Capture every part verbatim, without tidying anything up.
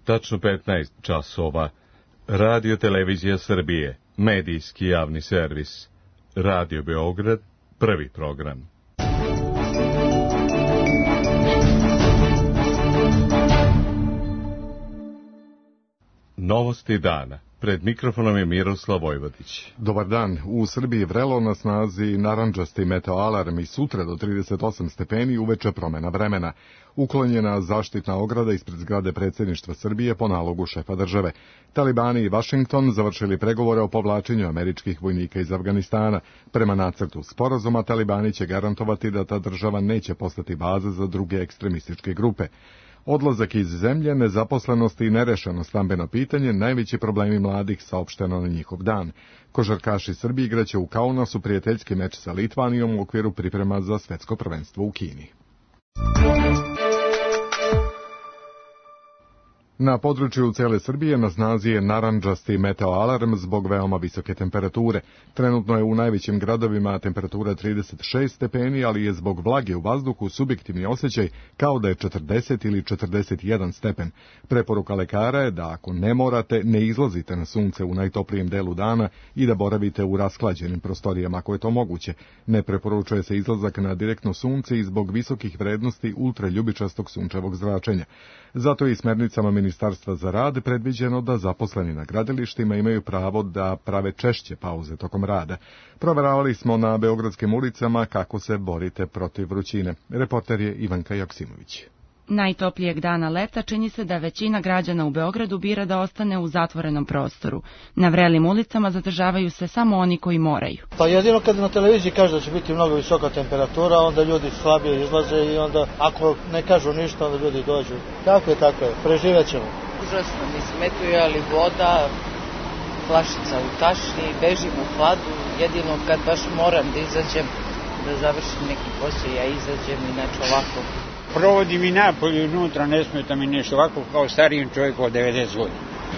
Tačno petnaest časova. Radio Televizija Srbije, medijski javni servis. Radio Beograd, prvi program. Novosti dana. Pred mikrofonom je Miroslav Vojvodić. Dobar dan. U Srbiji vrelo, na snazi narandžasti meteoalarm i sutra do trideset osam stepeni, uveče promena vremena. Uklonjena zaštitna ograda ispred zgrade predsjedništva Srbije po nalogu šefa države. Talibani i Vašington završili pregovore o povlačenju američkih vojnika iz Afganistana. Prema nacrtu sporazuma, Talibani će garantovati da ta država neće postati baza za druge ekstremističke grupe. Odlazak iz zemlje, nezaposlenost i nerešeno stambeno pitanje najveći problemi mladih, saopšteno na njihov dan. Košarkaši Srbije igraće u Kaunasu prijateljski meč sa Litvanijom u okviru priprema za svetsko prvenstvo u Kini. Na području cele Srbije na snazi je narandžasti meteoalarm zbog veoma visoke temperature. Trenutno je u najvećim gradovima temperatura trideset šest stepeni, ali je zbog vlage u vazduhu subjektivni osjećaj kao da je četrdeset ili četrdeset jedan stepen. Preporuka lekara je da ako ne morate, ne izlazite na sunce u najtoplijem delu dana i da boravite u rasklađenim prostorijama ako je to moguće. Ne preporučuje se izlazak na direktno sunce i zbog visokih vrednosti ultraljubičastog sunčevog zračenja. Zato je i smernicama Ministarstva za rad predviđeno da zaposleni na gradilištima imaju pravo da prave češće pauze tokom rada. Proveravali smo na beogradskim ulicama kako se borite protiv vrućine. Reporter je Ivanka Joksimović. Najtoplijeg dana leta čini se da većina građana u Beogradu bira da ostane u zatvorenom prostoru. Na vrelim ulicama zadržavaju se samo oni koji moraju. Pa jedino kad na televiziji kaže da će biti mnogo visoka temperatura, onda ljudi slabije izlaze i onda ako ne kažu ništa, onda ljudi dođu. Tako je, tako je, preživet ćemo. Užasno mi smetuje, ali voda, flašica u tašni, bežim u hladu, jedino kad baš moram da izađem, da završim neki posao, ja izađem, inače ovako. Provodim i napolje unutra, ne smeta mi nešto ovako kao starijem čovjeku od devedeset godina.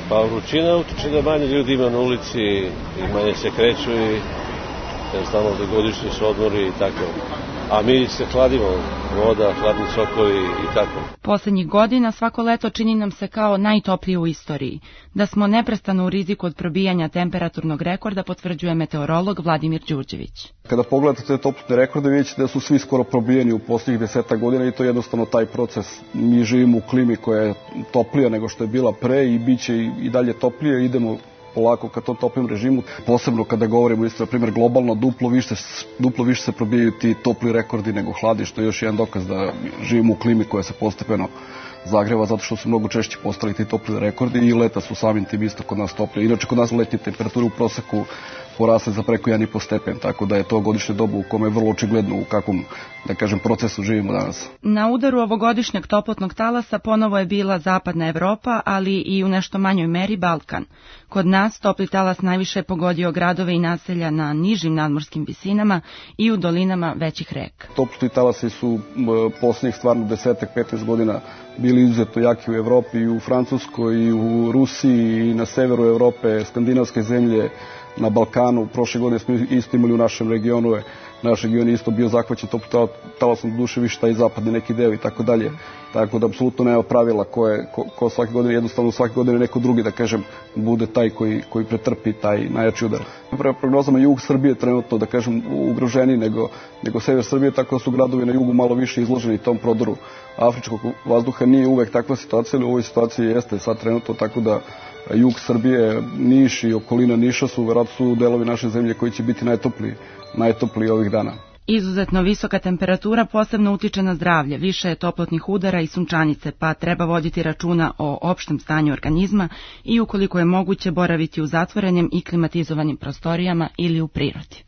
Pa vrućina utiče da manje ljudi ima na ulici i manje se kreću i jednostavno da godišnji su odmori i tako. A mi se hladimo, voda, hladni sokovi i tako. Poslednjih godina svako leto čini nam se kao najtoplije u istoriji. Da smo neprestano u riziku od probijanja temperaturnog rekorda potvrđuje meteorolog Vladimir Đurđević. Kada pogledate te toplotne rekorde, vidjet ćete da su svi skoro probijeni u posljednjih deseta godina i to je jednostavno taj proces. Mi živimo u klimi koja je toplija nego što je bila pre i bit će i dalje toplije, idemo polako ka tom toplom režimu. Posebno kada govorimo isto, na primjer, globalno, duplo više, duplo više se probijaju ti topli rekordi nego hladi, što je još jedan dokaz da živimo u klimi koja se postepeno zagreva, zato što su mnogo češće postali ti topli rekordi i leta su samim tim isto kod nas toplije. Inače, kod nas letnje temperature u proseku porasle za preko jedan i po stepen, tako da je to godišnje dobu u kome je vrlo očigledno u kakvom, da kažem, procesu živimo danas. Na udaru ovogodišnjeg toplotnog talasa ponovo je bila zapadna Evropa, ali i u nešto manjoj meri Balkan. Kod nas topli talas najviše je pogodio gradove i naselja na nižim nadmorskim visinama i u dolinama većih reka. Toplotni talasi su posljednjih stvarno desetak, petnaest godina bili izuzetno jaki u Evropi, i u Francuskoj, i u Rusiji, i na severu Evrope, skandinavske zemlje, na Balkanu. Prošle godine smo isto imali u našem regionu, naš region je isto bio zahvaćen toplim talasom, do duše više taj zapadni neki deo i tako dalje. Tako da apsolutno nema pravila koje, ko, ko svake godine, jednostavno svake godine neko drugi, da kažem, bude taj koji, koji pretrpi taj najjači udar. Prema prognozama, jug Srbije trenutno, da kažem, ugroženiji nego, nego sever Srbije, tako da su gradovi na jugu malo više izloženi tom prodoru afričkog vazduha. Nije uvek takva situacija, ali u ovoj situaciji jeste sad trenutno, tako da jug Srbije, Niš i okolina Niša su verovatno su delovi naše zemlje koji će biti najtopliji, najtopliji ovih dana. Izuzetno visoka temperatura posebno utiče na zdravlje, više je toplotnih udara i sunčanice, pa treba voditi računa o opštem stanju organizma i ukoliko je moguće boraviti u zatvorenim i klimatizovanim prostorijama ili u prirodi.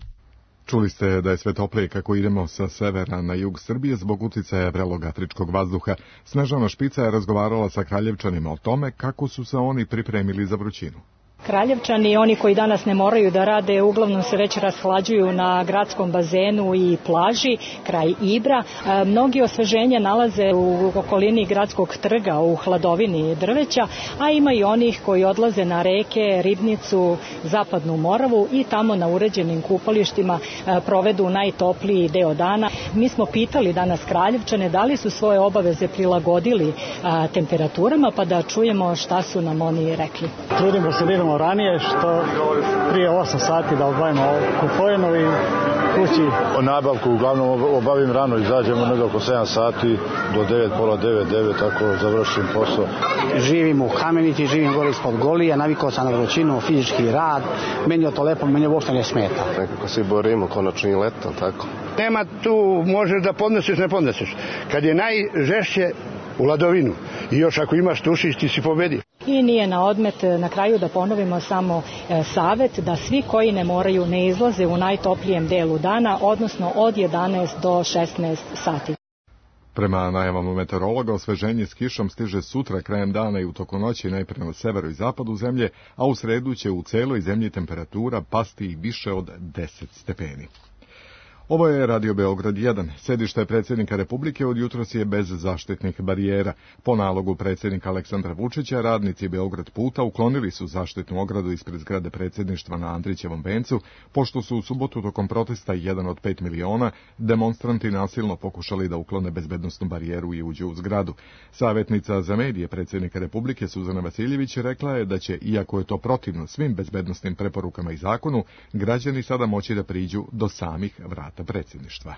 Čuli ste da je sve toplije kako idemo sa severa na jug Srbije zbog uticaja vrelog afričkog vazduha. Snežana Špica je razgovarala sa Kraljevčanima o tome kako su se oni pripremili za vrućinu. Kraljevčani, oni koji danas ne moraju da rade, uglavnom se već rashlađuju na gradskom bazenu i plaži kraj Ibra. E, mnogi osveženja nalaze u okolini gradskog trga u hladovini drveća, a ima i onih koji odlaze na reke, Ribnicu, Zapadnu Moravu i tamo na uređenim kupalištima e, provedu najtopliji deo dana. Mi smo pitali danas Kraljevčane da li su svoje obaveze prilagodili a, temperaturama, pa da čujemo šta su nam oni rekli. Trudimo se da idemo ranije, što prije osam sati da obavimo kupovinu i kući. O nabavku uglavnom obavim rano, izađemo nego oko sedam sati do devet, pola devet, devet, tako završim posao. Živim u Kamenici, živim gore ispod Golija, navikao sam na vrućinu, fizički rad, meni je to lepo, meni uopšte ne smeta. Nekako se borimo, konačno i leto, tako. Nema tu, možeš da podnosiš, ne podnosiš. Kad je najžešće u ladovinu i još ako imaš tušić, ti si pobedio. I nije na odmet na kraju da ponovimo samo e, savet da svi koji ne moraju ne izlaze u najtoplijem delu dana, odnosno od jedanaest do šesnaest sati. Prema najavama meteorologa, osveženje s kišom stiže sutra krajem dana i u toku noći najprije na severu i zapadu zemlje, a u sredu će u celoj zemlji temperatura pasti i više od deset stepeni. Ovo je Radio Beograd jedan. Sedište predsjednika Republike od jutros je bez zaštitnih barijera. Po nalogu predsjednika Aleksandra Vučića, radnici Beograd puta uklonili su zaštitnu ogradu ispred zgrade predsjedništva na Andrićevom vencu, pošto su u subotu tokom protesta jedan od pet miliona demonstranti nasilno pokušali da uklone bezbednosnu barijeru i uđu u zgradu. Savjetnica za medije predsjednika Republike Suzana Vasiljević rekla je da će, iako je to protivno svim bezbednosnim preporukama i zakonu, građani sada moći da priđu do samih vrata predsjedništva.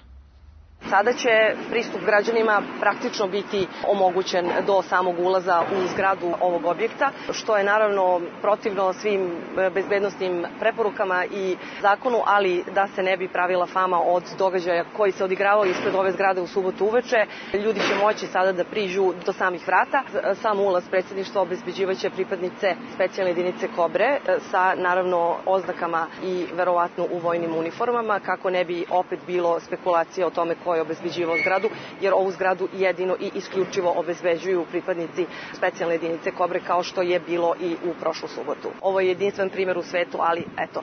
Sada će pristup građanima praktično biti omogućen do samog ulaza u zgradu ovog objekta, što je naravno protivno svim bezbednosnim preporukama i zakonu, ali da se ne bi pravila fama od događaja koji se odigravao ispred ove zgrade u subotu uveče. Ljudi će moći sada da priđu do samih vrata. Sam ulaz predsjedništva obezbeđivaće pripadnice specijalne jedinice Kobre sa naravno oznakama i verovatno u vojnim uniformama, kako ne bi opet bilo spekulacije o tome ko je obezbeđivao zgradu, jer ovu zgradu jedino i isključivo obezbeđuju pripadnici specijalne jedinice Kobre, kao što je bilo i u prošlu subotu. Ovo je jedinstven primjer u svetu, ali eto,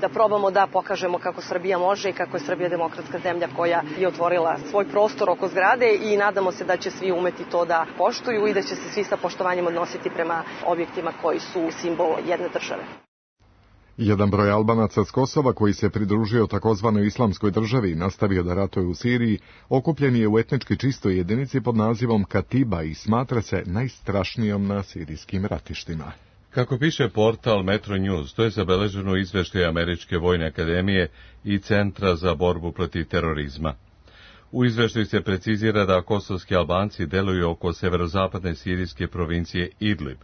da probamo da pokažemo kako Srbija može i kako je Srbija demokratska zemlja koja je otvorila svoj prostor oko zgrade i nadamo se da će svi umeti to da poštuju i da će se svi sa poštovanjem odnositi prema objektima koji su simbol jedne države. Jedan broj Albanaca s Kosova koji se pridružio takozvanoj islamskoj državi i nastavio da ratuje u Siriji, okupljen je u etnički čistoj jedinici pod nazivom Katiba i smatra se najstrašnijom na sirijskim ratištima. Kako piše portal Metro News, to je zabeleženo u izveštaju Američke vojne akademije i Centra za borbu protiv terorizma. U izveštaju se precizira da kosovski Albanci deluju oko severozapadne sirijske provincije Idlib.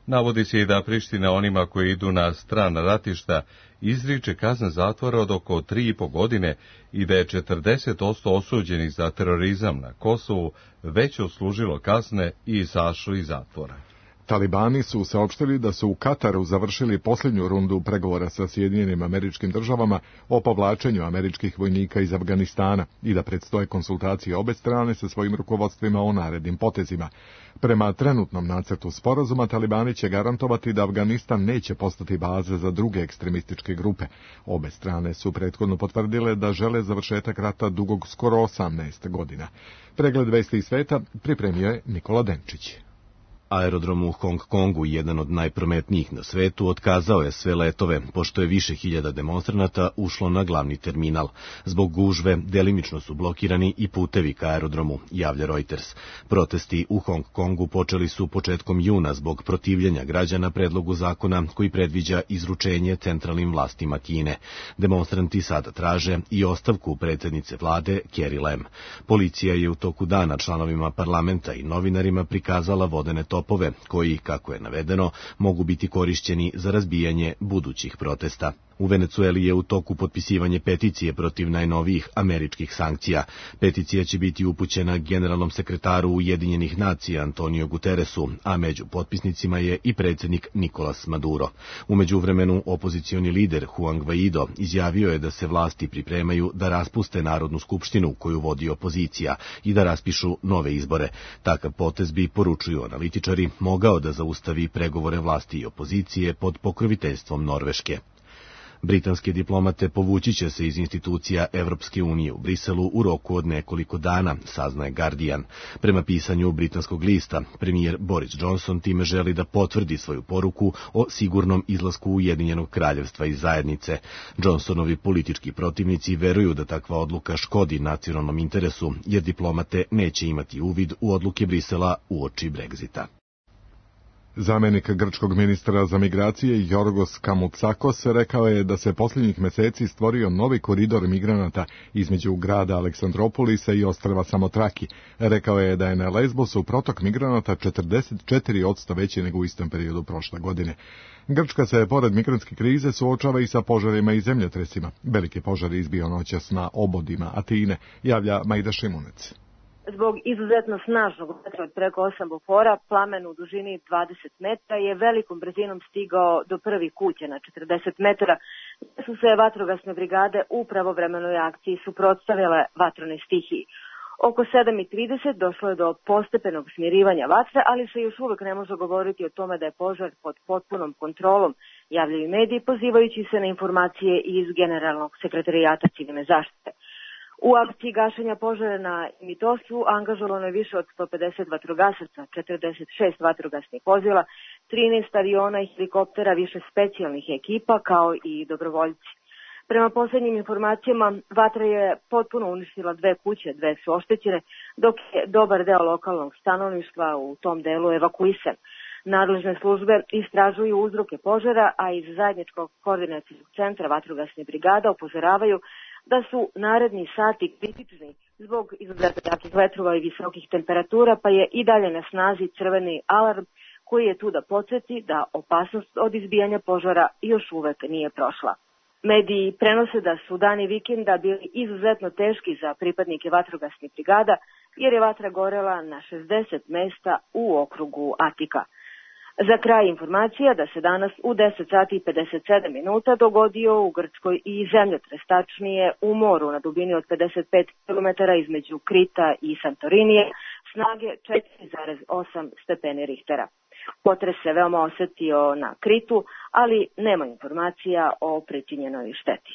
Navodi se i da Priština onima koji idu na strana ratišta izriče kazne zatvora od oko tri i po godine i da je četrdeset posto osuđenih za terorizam na Kosovu već odslužilo kazne i izašlo iz zatvora. Talibani su saopštili da su u Kataru završili posljednju rundu pregovora sa Sjedinjenim Američkim Državama o povlačenju američkih vojnika iz Afganistana i da predstoje konsultacije obe strane sa svojim rukovodstvima o narednim potezima. Prema trenutnom nacrtu sporazuma, Talibani će garantovati da Afganistan neće postati baza za druge ekstremističke grupe. Obe strane su prethodno potvrdile da žele završetak rata dugog skoro osamnaest godina. Pregled vesti iz sveta pripremio je Nikola Denčić. Aerodrom u Hong Kongu, jedan od najprometnijih na svetu, otkazao je sve letove, pošto je više hiljada demonstranata ušlo na glavni terminal. Zbog gužve delimično su blokirani i putevi ka aerodromu, javlja Reuters. Protesti u Hong Kongu počeli su početkom juna zbog protivljenja građana predlogu zakona koji predviđa izručenje centralnim vlastima Kine. Demonstranti sada traže i ostavku predsjednice vlade Carrie Lam. Policija je u toku dana članovima parlamenta i novinarima prikazala vodene topove koji, kako je navedeno, mogu biti korišćeni za razbijanje budućih protesta. U Venecueli je u toku potpisivanje peticije protiv najnovijih američkih sankcija. Peticija će biti upućena generalnom sekretaru Ujedinjenih nacija Antonio Guterresu, a među potpisnicima je i predsjednik Nicolas Maduro. U međuvremenu opozicioni lider Juan Guaido izjavio je da se vlasti pripremaju da raspuste Narodnu skupštinu koju vodi opozicija i da raspišu nove izbore. Takav potez bi, poručuju analitičari, mogao da zaustavi pregovore vlasti i opozicije pod pokroviteljstvom Norveške. Britanske diplomate povući će se iz institucija Evropske unije u Briselu u roku od nekoliko dana, saznaje Guardian. Prema pisanju britanskog lista, premijer Boris Johnson time želi da potvrdi svoju poruku o sigurnom izlasku Ujedinjenog kraljevstva iz zajednice. Johnsonovi politički protivnici veruju da takva odluka škodi nacionalnom interesu, jer diplomate neće imati uvid u odluke Brisela uoči Brexita. Zamenik grčkog ministra za migracije Jorgos Kamotsakos rekao je da se posljednjih meseci stvorio novi koridor migranata između grada Aleksandropolisa i ostrva Samotraki. Rekao je da je na Lesbosu protok migranata četrdeset četiri posto veći nego u istom periodu prošle godine. Grčka se, pored migrantske krize, suočava i sa požarima i zemljotresima. Veliki požar izbio noćas na obodima Atine, javlja Majda Šimunec. Zbog izuzetno snažnog vetra od preko osam bofora, plamen u dužini dvadeset metara je velikom brzinom stigao do prvih kuća na četrdeset metara, gdje su se vatrogasne brigade u pravovremenoj akciji suprotstavile vatronoj stihiji. Oko sedam i trideset došlo je do postepenog smirivanja vatre, ali se još uvek ne može govoriti o tome da je požar pod potpunom kontrolom, javljaju mediji pozivajući se na informacije iz Generalnog sekretarijata civilne zaštite. U akciji gašenja požara na Mitosu angažovano je više od sto pedeset vatrogasaca, četrdeset šest vatrogasnih vozila, trinaest aviona i helikoptera, više specijalnih ekipa kao i dobrovoljci. Prema posljednjim informacijama, vatra je potpuno uništila dve kuće, dve su oštećene, dok je dobar deo lokalnog stanovništva u tom delu evakuisan. Nadležne službe istražuju uzroke požara, a iz zajedničkog koordinacijskog centra vatrogasnih brigada upozoravaju da su naredni sati kritični zbog izuzetno jakih vetrova i visokih temperatura, pa je i dalje na snazi crveni alarm koji je tu da podsjeti da opasnost od izbijanja požara još uvek nije prošla. Mediji prenose da su dani vikenda bili izuzetno teški za pripadnike vatrogasnih brigada, jer je vatra gorela na šezdeset mesta u okrugu Atika. Za kraj informacija da se danas u deset sati i pedeset sedam minuta dogodio u Grčkoj i zemljotres, tačnije u moru na dubini od pedeset pet kilometara između Krita i Santorinije, snage četiri zarez osam stepeni Richtera. Potres se veoma osetio na Kritu, ali nema informacija o pričinjenoj šteti.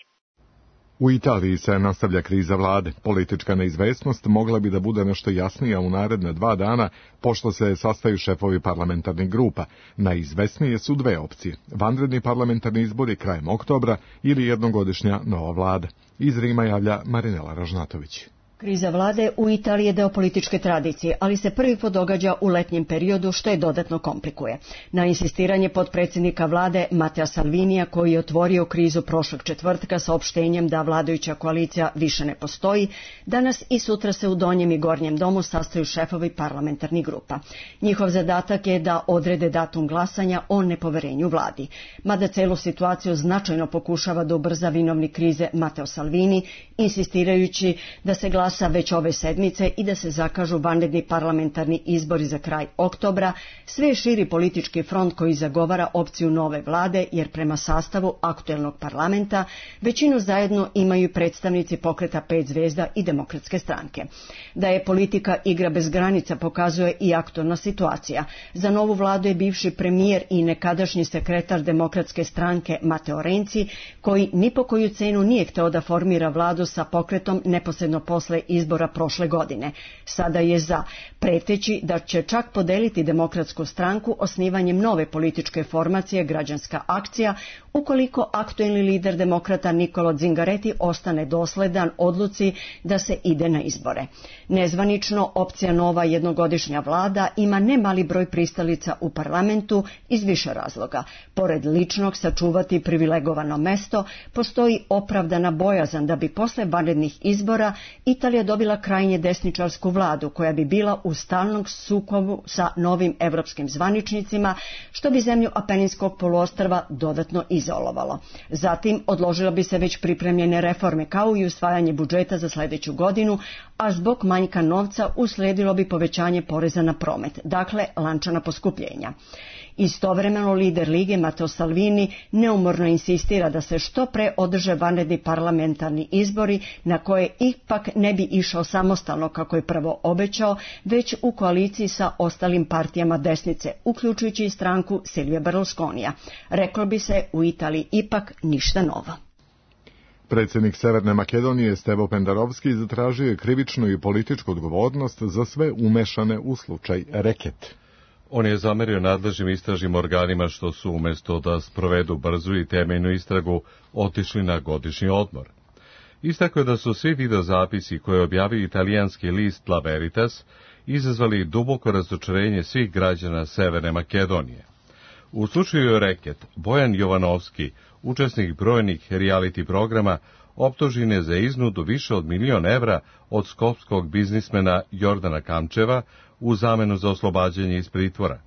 U Italiji se nastavlja kriza vlade. Politička neizvesnost mogla bi da bude nešto jasnija u naredne dva dana, pošto se sastaju šefovi parlamentarnih grupa. Najizvesnije su dve opcije: vanredni parlamentarni izbori krajem oktobra ili jednogodišnja nova vlada. Iz Rima javlja Marinela Ražnatović. Kriza vlade u Italiji je deo političke tradicije, ali se prvi put događa u letnjem periodu, što je dodatno komplikuje. Na insistiranje potpredsjednika vlade Matteo Salvinija, koji je otvorio krizu prošlog četvrtka saopštenjem da vladajuća koalicija više ne postoji, danas i sutra se u donjem i gornjem domu sastaju šefovi parlamentarnih grupa. Njihov zadatak je da odrede datum glasanja o nepoverenju vladi. Mada celu situaciju značajno pokušava da ubrza vinovnik krize Matteo Salvini, insistirajući da se glasa već ove sedmice i da se zakažu vanredni parlamentarni izbori za kraj oktobra, sve širi politički front koji zagovara opciju nove vlade, jer prema sastavu aktuelnog parlamenta većinu zajedno imaju predstavnici pokreta pet zvezda i Demokratske stranke. Da je politika igra bez granica pokazuje i aktuelna situacija. Za novu vladu je bivši premijer i nekadašnji sekretar Demokratske stranke Matteo Renzi, koji ni po koju cenu nije hteo da formira vladu sa pokretom neposredno posle izbora prošle godine. Sada je za, preteći da će čak podeliti Demokratsku stranku osnivanjem nove političke formacije Građanska akcija, ukoliko aktuelni lider demokrata Nicolo Zingaretti ostane dosledan odluci da se ide na izbore. Nezvanično, opcija nova jednogodišnja vlada ima nemali broj pristalica u parlamentu iz više razloga. Pored ličnog sačuvati privilegovano mesto, postoji opravdana bojazan da bi posle vanrednih izbora Italija dobila krajnje desničarsku vladu koja bi bila u stalnom sukobu sa novim evropskim zvaničnicima, što bi zemlju Apeninskog poluostrva dodatno izazvalo. izolovalo. Zatim odložilo bi se već pripremljene reforme kao i usvajanje budžeta za sljedeću godinu, a zbog manjka novca uslijedilo bi povećanje poreza na promet, dakle lančana poskupljenja. Istovremeno lider Lige Matteo Salvini neumorno insistira da se što pre održe vanredni parlamentarni izbori na koje ipak ne bi išao samostalno kako je prvo obećao, već u koaliciji sa ostalim partijama desnice, uključujući i stranku Silvija Berlusconija. Reklo bi se u Italiji ipak ništa novo. Predsjednik Severne Makedonije Stevo Pendarovski zatražio je krivičnu i političku odgovornost za sve umešane u slučaj Reket. On je zamerio nadležnim istražnim organima što su umjesto da sprovedu brzu i temeljnu istragu otišli na godišnji odmor. Istakao je da su svi videozapisi koje objavio italijanski list La Veritas izazvali duboko razočarenje svih građana Severne Makedonije. U slučaju Reket, Bojan Jovanovski, učesnik brojnih reality programa, optužen je za iznudu više od milion evra od skopskog biznismena Jordana Kamčeva u zamenu za oslobađanje iz pritvora.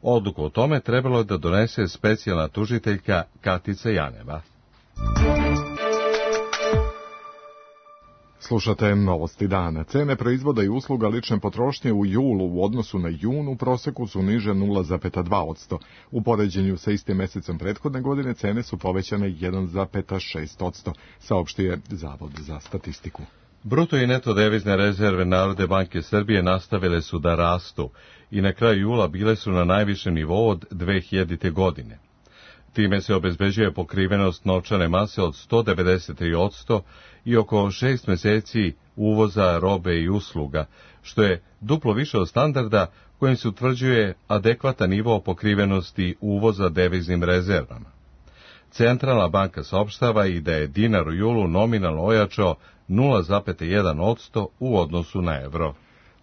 Odluku o tome trebalo je da donese specijalna tužiteljka Katica Janeva. Slušate novosti dana. Cene proizvoda i usluga lične potrošnje u julu u odnosu na jun u proseku su niže nula zarez dva posto. U poređenju sa istim mesecom prethodne godine cene su povećane jedan zarez šest posto, saopštio Zavod za statistiku. Bruto i neto devizne rezerve Narodne banke Srbije nastavile su da rastu i na kraju jula bile su na najvišem nivou od dve hiljadite. godine. Time se obezbeđuje pokrivenost novčane mase od sto devedeset tri posto i oko šest meseci uvoza robe i usluga, što je duplo više od standarda kojim se utvrđuje adekvatan nivo pokrivenosti uvoza deviznim rezervama. Centralna banka saopštava i da je dinar u julu nominalno ojačao nula zarez jedan posto u odnosu na evro.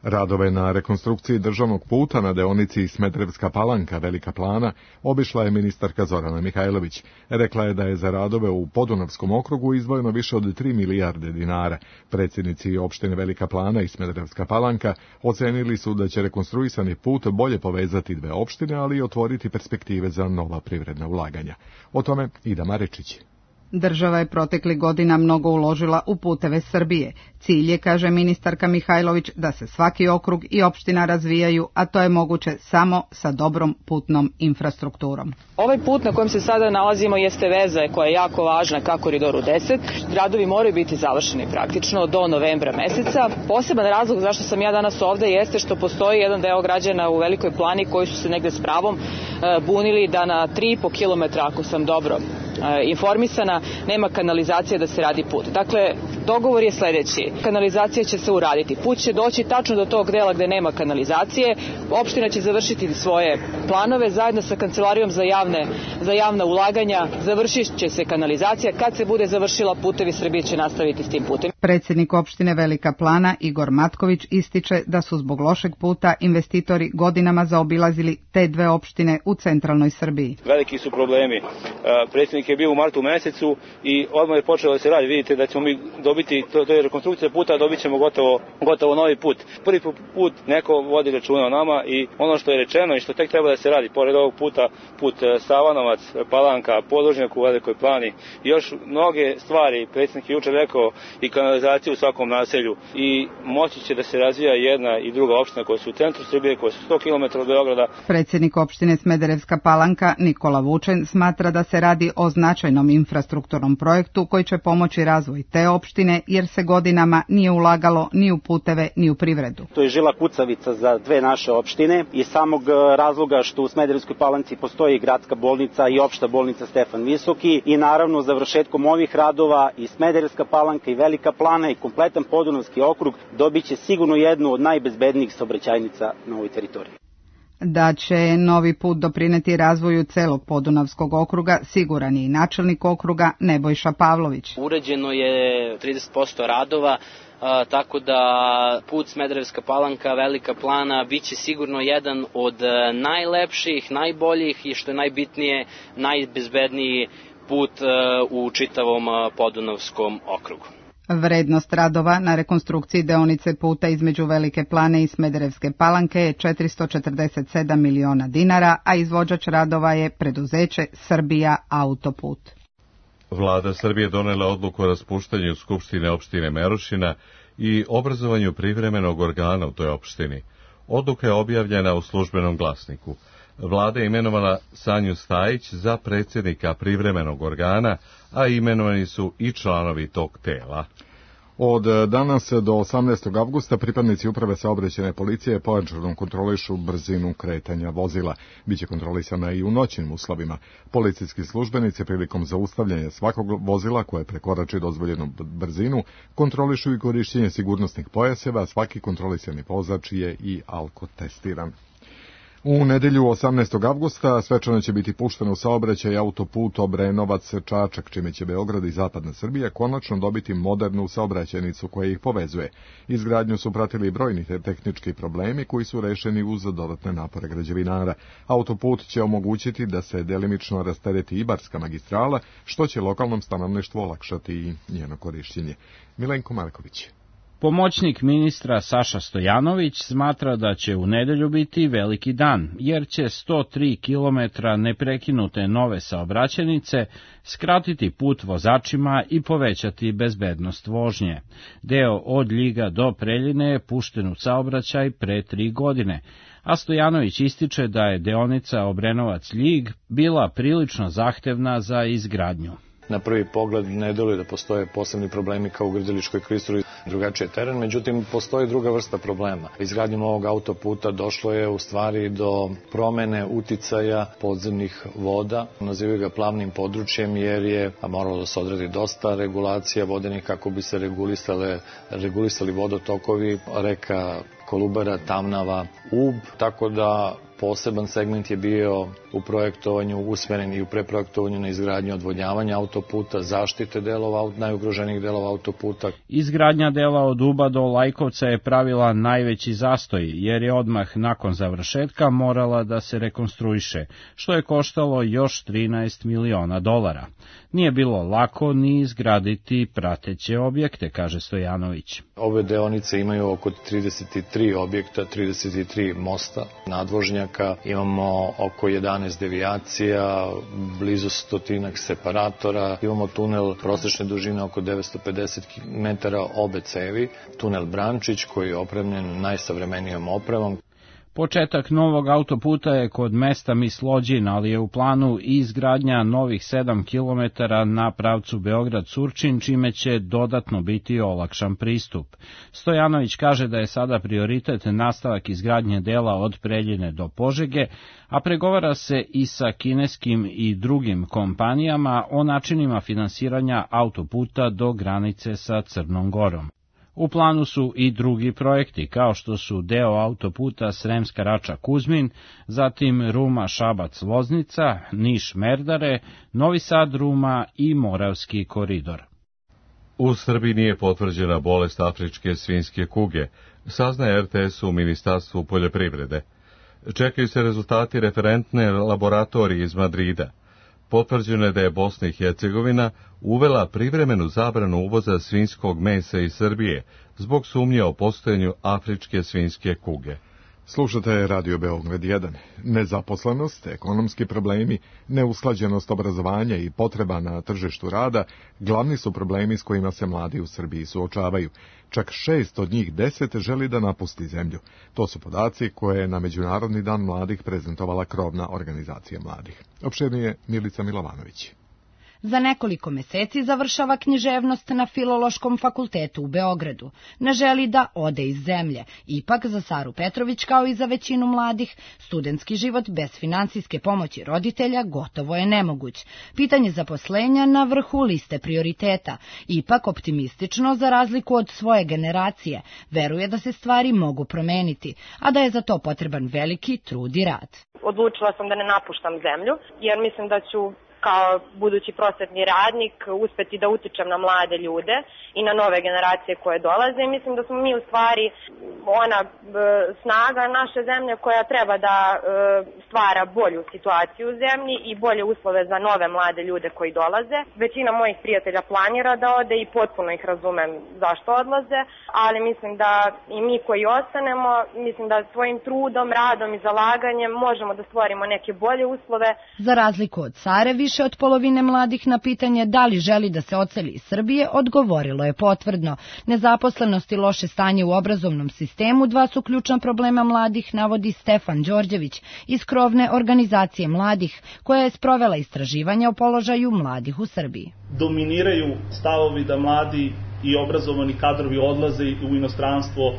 Radove na rekonstrukciji državnog puta na deonici Smederevska Palanka Velika Plana obišla je ministarka Zorana Mihajlović. Rekla je da je za radove u Podunavskom okrugu izdvojeno više od tri milijarde dinara. Predsjednici opštine Velika Plana i Smederevska Palanka ocenili su da će rekonstruisani put bolje povezati dve opštine, ali i otvoriti perspektive za nova privredna ulaganja. O tome Ida Marečić. Država je protekli godina mnogo uložila u puteve Srbije. Cilj je, kaže ministarka Mihajlović, da se svaki okrug i opština razvijaju, a to je moguće samo sa dobrom putnom infrastrukturom. Ovaj put na kojem se sada nalazimo jeste veza koja je jako važna ka Koridoru deset. Radovi moraju biti završeni praktično do novembra meseca. Poseban razlog zašto sam ja danas ovde jeste što postoji jedan deo građana u Velikoj Plani koji su se negde s pravom bunili da na tri i po kilometra, ako sam dobro informisana, nema kanalizacije da se radi put. Dakle, dogovor je sljedeći. Kanalizacija će se uraditi. Put će doći tačno do tog dela gde nema kanalizacije. Opština će završiti svoje planove zajedno sa Kancelarijom za javne, za javna ulaganja. Završit će se kanalizacija. Kad se bude završila, Putevi Srbije će nastaviti s tim putem. Predsjednik opštine Velika Plana Igor Matković ističe da su zbog lošeg puta investitori godinama zaobilazili te dve opštine u centralnoj Srbiji. Veliki su problemi. Predsjednik je bio u martu mesecu i odmah je počelo da se radi. Vidite da ćemo mi dobiti, to, to je rekonstrukcija puta, dobit ćemo gotovo, gotovo novi put. Prvi put neko vodi računa o nama i ono što je rečeno i što tek treba da se radi, pored ovog puta, put Savanovac, Palanka, podvožnjak u Velikoj Plani i još mnoge stvari. Predsjednik je jučer rekao i kanalizaciju u svakom naselju i moći će da se razvija jedna i druga opština koja su u centru Srbije, koja su sto kilometara od Beograda. Predsjednik opštine Smederevska Palanka Nikola Vučen smatra da se radi o značajnom infrastrukturnom projektu koji će pomoći razvoj te opštine jer se godinama nije ulagalo ni u puteve ni u privredu. To je žila kucavica za dve naše opštine i samog razloga što u Smederevskoj Palanci postoji gradska bolnica i opšta bolnica Stefan Visoki i naravno završetkom ovih radova i Smederevska Palanka i Velika Plana i kompletan Podunavski okrug dobiće sigurno jednu od najbezbednijih saobraćajnica na ovoj teritoriji. Da će novi put doprineti razvoju celog Podunavskog okruga, siguran je i načelnik okruga Nebojša Pavlović. Urađeno je trideset posto radova, a, tako da put Smederevska Palanka, Velika Plana biće sigurno jedan od najlepših, najboljih i što je najbitnije, najbezbedniji put a, u čitavom Podunavskom okrugu. Vrednost radova na rekonstrukciji deonice puta između Velike Plane i Smederevske Palanke je četiristo četrdeset sedam miliona dinara, a izvođač radova je preduzeće Srbija Autoput. Vlada Srbije donela odluku o raspuštanju Skupštine opštine Merošina i obrazovanju privremenog organa u toj opštini. Odluka je objavljena u Službenom glasniku. Vlada je imenovala Sanju Stajić za predsjednika privremenog organa, a imenovani su i članovi tog tela. Od danas do osamnaestog avgusta pripadnici uprave saobraćajne policije pojačano kontrolišu brzinu kretanja vozila. Biće kontrolisana i u noćnim uslovima. Policijski službenici prilikom zaustavljanja svakog vozila koje prekorači dozvoljenu brzinu kontrolišu i korišćenje sigurnosnih pojaseva, a svaki kontrolisani vozač je i alkotestiran. U nedelju osamnaestog avgusta svečano će biti pušten u saobraćaj autoput Obrenovac-Čačak, čime će Beograd i zapadna Srbija konačno dobiti modernu saobraćajnicu koja ih povezuje. Izgradnju su pratili brojni tehnički problemi koji su rešeni uz dodatne napore građevinara. Autoput će omogućiti da se delimično rastereti Ibarska magistrala, što će lokalnom stanovništvu olakšati i njeno korišćenje. Milenko Marković. Pomoćnik ministra Saša Stojanović smatra da će u nedelju biti veliki dan, jer će sto tri kilometra neprekinute nove saobraćajnice skratiti put vozačima i povećati bezbednost vožnje. Deo od Ljiga do Preljine je pušten u saobraćaj pre tri godine, a Stojanović ističe da je deonica Obrenovac-Ljig bila prilično zahtevna za izgradnju. Na prvi pogled ne deluje da postoje posebni problemi kao u Grdeličkoj klisuri, drugačiji teren, međutim postoji druga vrsta problema. Izgradnjom ovog autoputa došlo je u stvari do promene uticaja podzemnih voda, nazivaju ga plavnim područjem jer je moralo da se odradi dosta regulacija vodenih kako bi se regulisale, regulisali vodotokovi, reka Kolubara, Tamnava, Ub, tako da poseban segment je bio u projektovanju usmeren i u preprojektovanju na izgradnju odvodnjavanja autoputa, zaštite delova, najugroženijih delova autoputa. Izgradnja dela od Uba do Lajkovca je pravila najveći zastoj, jer je odmah nakon završetka morala da se rekonstruiše, što je koštalo još trinaest miliona dolara. Nije bilo lako ni izgraditi prateće objekte, kaže Stojanović. Ove deonice imaju oko trideset tri objekta, trideset tri mosta, nadvožnjaka, imamo oko jedanaest devijacija, blizu stotinak separatora, imamo tunel prosečne dužine oko devetsto pedeset metara obe cevi, tunel Brančić koji je opremljen najsavremenijom opremom. Početak novog autoputa je kod mesta Mislođin, ali je u planu i izgradnja novih sedam kilometara na pravcu Beograd-Surčin, čime će dodatno biti olakšan pristup. Stojanović kaže da je sada prioritet nastavak izgradnje dela od Preljine do Požege, a pregovara se i sa kineskim i drugim kompanijama o načinima finansiranja autoputa do granice sa Crnom Gorom. U planu su i drugi projekti, kao što su deo autoputa Sremska Rača-Kuzmin, zatim Ruma-Šabac-Loznica, Niš-Merdare, Novi Sad-Ruma i Moravski koridor. U Srbiji nije potvrđena bolest afričke svinjske kuge, saznaje er te es u Ministarstvu poljoprivrede. Čekaju se rezultati referentne laboratorije iz Madrida. Potvrđeno je da je Bosna i Hercegovina uvela privremenu zabranu uvoza svinjskog mesa iz Srbije zbog sumnje o postojanju afričke svinjske kuge. Slušate Radio Beograd jedan. Nezaposlenost, ekonomski problemi, neusklađenost obrazovanja i potreba na tržištu rada glavni su problemi s kojima se mladi u Srbiji suočavaju. Čak šest od njih deset želi da napusti zemlju. To su podaci koje je na Međunarodni dan mladih prezentovala krovna organizacija mladih. Opširnije Milica Milovanović. Za nekoliko meseci završava književnost na Filološkom fakultetu u Beogradu. Ne želi da ode iz zemlje. Ipak za Saru Petrović, kao i za većinu mladih, studentski život bez finansijske pomoći roditelja gotovo je nemoguć. Pitanje zaposlenja na vrhu liste prioriteta. Ipak optimistično, za razliku od svoje generacije, veruje da se stvari mogu promeniti, a da je za to potreban veliki trud i rad. Odlučila sam da ne napuštam zemlju, jer mislim da ću kao budući prosvetni radnik uspeti da utičem na mlade ljude i na nove generacije koje dolaze. Mislim da smo mi u stvari ona e, snaga naše zemlje koja treba da e, stvara bolju situaciju u zemlji i bolje uslove za nove mlade ljude koji dolaze. Većina mojih prijatelja planira da ode i potpuno ih razumem zašto odlaze, ali mislim da i mi koji ostanemo, mislim da svojim trudom, radom i zalaganjem možemo da stvorimo neke bolje uslove. Za razliku od Sare, više od polovine mladih na pitanje da li želi da se odseli iz Srbije odgovorilo je potvrdno. Nezaposlenost i loše stanje u obrazovnom sistemu dva su ključna problema mladih, navodi Stefan Đorđević iz krovne organizacije mladih, koja je sprovela istraživanja o položaju mladih u Srbiji. Dominiraju stavovi da mladi i obrazovani kadrovi odlaze u inostranstvo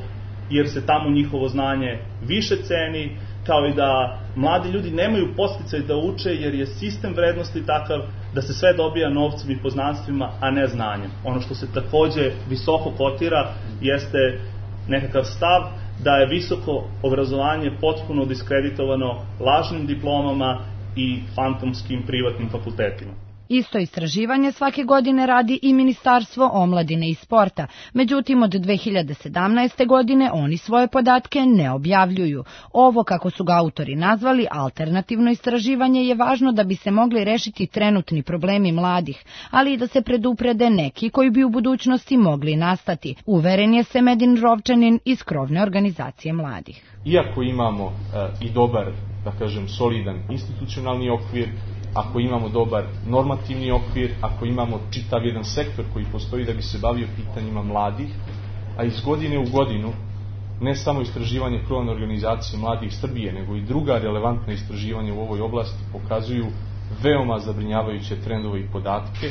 jer se tamo njihovo znanje više ceni, kao i da mladi ljudi nemaju podsticaj da uče jer je sistem vrednosti takav da se sve dobija novcem i poznanstvima, a ne znanjem. Ono što se takođe visoko kotira jeste nekakav stav da je visoko obrazovanje potpuno diskreditovano lažnim diplomama i fantomskim privatnim fakultetima. Isto istraživanje svake godine radi i Ministarstvo omladine i sporta, međutim od dve hiljade sedamnaeste. godine oni svoje podatke ne objavljuju. Ovo, kako su ga autori nazvali, alternativno istraživanje je važno da bi se mogli rešiti trenutni problemi mladih, ali i da se preduprede neki koji bi u budućnosti mogli nastati, uveren je Semedin Rovčanin iz krovne organizacije mladih. Iako imamo e, i dobar, da kažem, solidan institucionalni okvir, ako imamo dobar normativni okvir, ako imamo čitav jedan sektor koji postoji da bi se bavio pitanjima mladih, a iz godine u godinu ne samo istraživanje krovne organizacije mladih Srbije, nego i druga relevantna istraživanja u ovoj oblasti pokazuju veoma zabrinjavajuće trendove i podatke.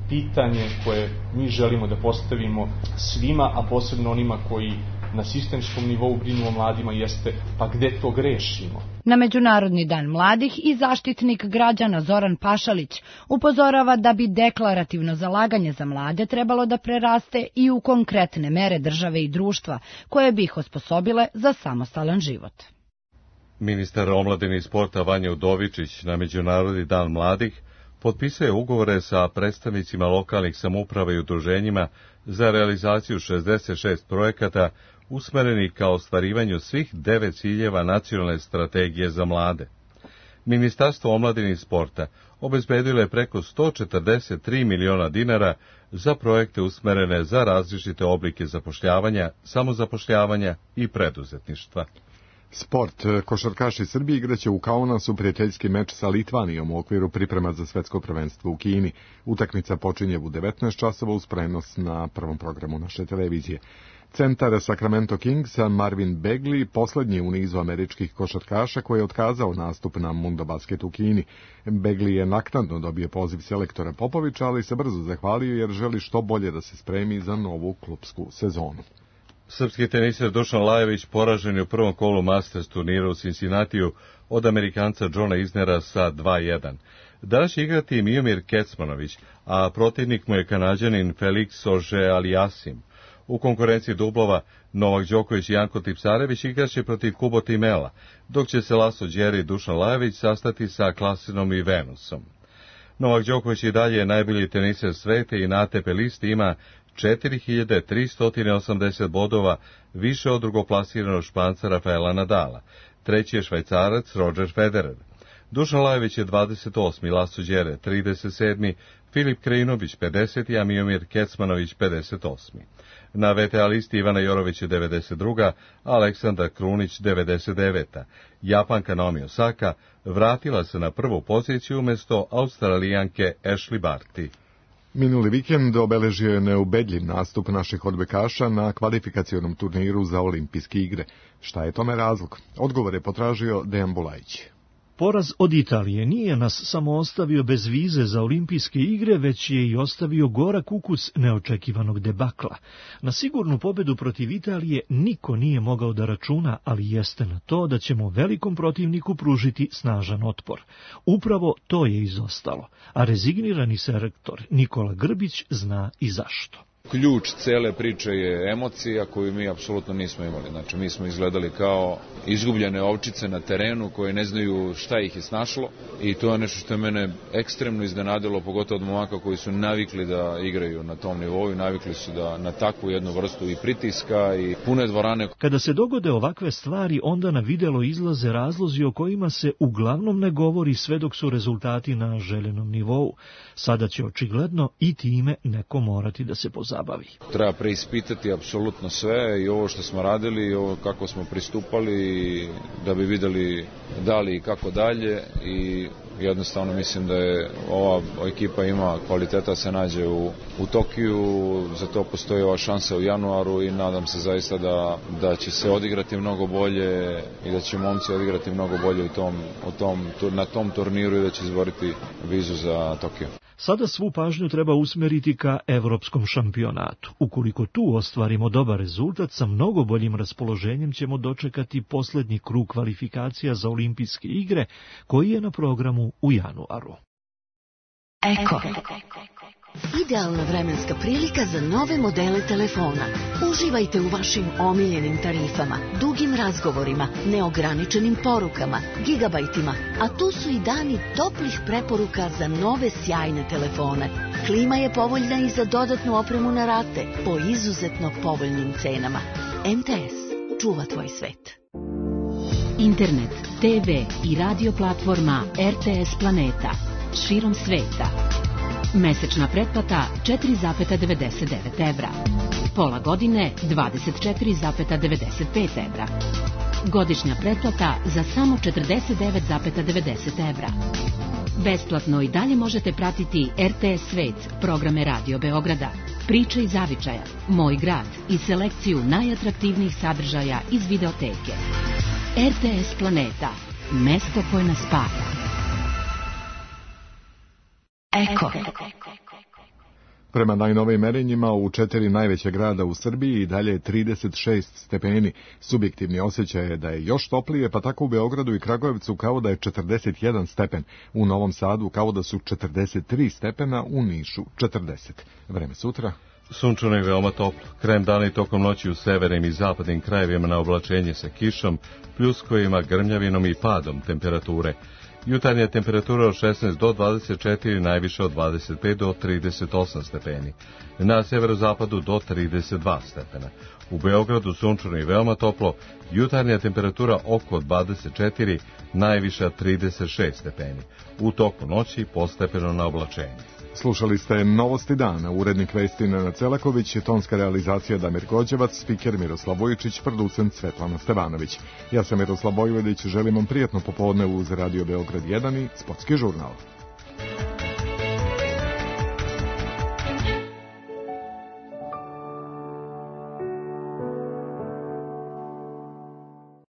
Pitanje koje mi želimo da postavimo svima, a posebno onima koji na sistemskom nivou brinu o mladima, jeste pa gde to grešimo? Na Međunarodni dan mladih i zaštitnik građana Zoran Pašalić upozorava da bi deklarativno zalaganje za mlade trebalo da preraste i u konkretne mere države i društva, koje bi ih osposobile za samostalan život. Ministar omladine i sporta Vanja Udovičić na Međunarodni dan mladih potpisuje ugovore sa predstavnicima lokalnih samouprava i udruženjima za realizaciju šezdeset šest projekata usmerenih ka ostvarivanju svih devet ciljeva nacionalne strategije za mlade. Ministarstvo omladine i sporta obezbedilo je preko sto četrdeset tri miliona dinara za projekte usmerene za različite oblike zapošljavanja, samozapošljavanja i preduzetništva. Sport. Košarkaši Srbije igraće u Kaunasu prijateljski meč sa Litvanijom u okviru priprema za svetsko prvenstvo u Kini. Utakmica počinje u devetnaest časova uz prenos na prvom programu naše televizije. Centar Sacramento Kingsa Marvin Bagley poslednji u nizu američkih košarkaša koji je otkazao nastup na Mundo Basket u Kini. Bagley je naknadno dobio poziv selektora Popovića, ali se brzo zahvalio jer želi što bolje da se spremi za novu klupsku sezonu. Srpski teniser Dušan Lajović poražen je u prvom kolu Masters turnira u Cincinnatiju od Amerikanca Johna Isnera sa dva jedan. Danas će igrati Miomir Kecmanović, a protivnik mu je Kanađanin Felix Auger-Aliassime. U konkurenciji dublova Novak Đoković i Janko Tipsarević igraće protiv Kubo Timela, dok će se Laslo Đeri i Dušan Lajović sastati sa Klasinom i Venusom. Novak Đoković i dalje je najbolji teniser sveta i na A T P listi ima četiri hiljade tristo osamdeset bodova, više od drugoplasiranog Španca Rafaela Nadala. Treći je Švajcarac Roger Federer. Dušan Lajović je dvadeset osmi, Laslo Đere trideset sedmi, Filip Krajinović pedeseti, a Miomir Kecmanović pedeset osmi. Na V T A listi Ivana Jorović je devedeset druga, a Aleksandar Krunić devedeset deveta. Japanka Naomi Osaka vratila se na prvu poziciju umjesto Australijanke Ashley Barty. Minuli vikend obeležio je neubedljiv nastup naših odbojkaša na kvalifikacionom turniru za olimpijske igre. Šta je tome razlog? Odgovor je potražio Dejan Bulajić. Poraz od Italije nije nas samo ostavio bez vize za olimpijske igre, već je i ostavio gorak ukus neočekivanog debakla. Na sigurnu pobedu protiv Italije niko nije mogao da računa, ali jeste na to da ćemo velikom protivniku pružiti snažan otpor. Upravo to je izostalo, a rezignirani selektor Nikola Grbić zna i zašto. Ključ cele priče je emocija koju mi apsolutno nismo imali. Znači, mi smo izgledali kao izgubljene ovčice na terenu koje ne znaju šta ih je snašlo i to je nešto što je mene ekstremno iznenadilo, pogotovo od momaka koji su navikli da igraju na tom nivou i navikli su da na takvu jednu vrstu i pritiska i pune dvorane. Kada se dogode ovakve stvari, onda na videlo izlaze razlozi o kojima se uglavnom ne govori sve dok su rezultati na željenom nivou. Sada će očigledno i time neko morati da se pozabavi. Treba preispitati apsolutno sve i ovo što smo radili i ovo kako smo pristupali da bi videli da li i kako dalje i jednostavno mislim da je ova ekipa ima kvaliteta da se nađe u, u Tokiju, za to postoji ova šansa u januaru i nadam se zaista da, da će se odigrati mnogo bolje i da će momci odigrati mnogo bolje u tom, u tom, na tom turniru i da će izboriti vizu za Tokio. Sada svu pažnju treba usmeriti ka evropskom šampionatu. Ukoliko tu ostvarimo dobar rezultat, sa mnogo boljim raspoloženjem ćemo dočekati posljednji krug kvalifikacija za olimpijske igre, koji je na programu u januaru. Eko. Idealna vremenska prilika za nove modele telefona. Uživajte u vašim omiljenim tarifama, dugim razgovorima, neograničenim porukama, gigabajtima, a tu su i dani toplih preporuka za nove sjajne telefone. Klima je povoljna i za dodatnu opremu na rate po izuzetno povoljnim cenama. M T S čuva tvoj svet. Internet, te ve i radio platforma R T S Planeta širom sveta. Mesečna pretplata četiri zarez devedeset devet evra. Pola godine dvadeset četiri zarez devedeset pet evra. Godišnja pretplata za samo četrdeset devet zarez devedeset evra. Besplatno i dalje možete pratiti R T S Svet, programe Radio Beograda, Priče iz zavičaja, Moj grad i selekciju najatraktivnijih sadržaja iz videoteke. R T S Planeta, mesto koje nas spaja. Eko. Prema najnovijim merenjima u četiri najveće grada u Srbiji i dalje je trideset šest stepeni. Subjektivni osjećaj je da je još toplije, pa tako u Beogradu i Kragujevcu kao da je četrdeset jedan stepen. U Novom Sadu kao da su četrdeset tri stepena, u Nišu četrdeset. Vreme sutra. Sunčano i veoma toplo. Krajem dana i tokom noći u severnim i zapadnim krajevima na oblačenje sa kišom, pljuskojima, grmljavinom i padom temperature. Jutarnja temperatura od šesnaest do dvadeset četiri, najviše od dvadeset pet do trideset osam stepeni. Na severozapadu do trideset dva stepena. U Beogradu sunčano i veoma toplo, jutarnja temperatura oko dvadeset četiri, najviša trideset šest stepeni. U toku noći postepeno na oblačenje. Slušali ste Novosti dana, urednik vesti Nenad Celaković, tonska realizacija Damir Gođevac, spiker Miroslav Vujičić, producent Svetlana Stevanović. Ja sam Miroslav Bojvodić, želim vam prijatno popodne uz Radio Beograd jedan i Sportski žurnal.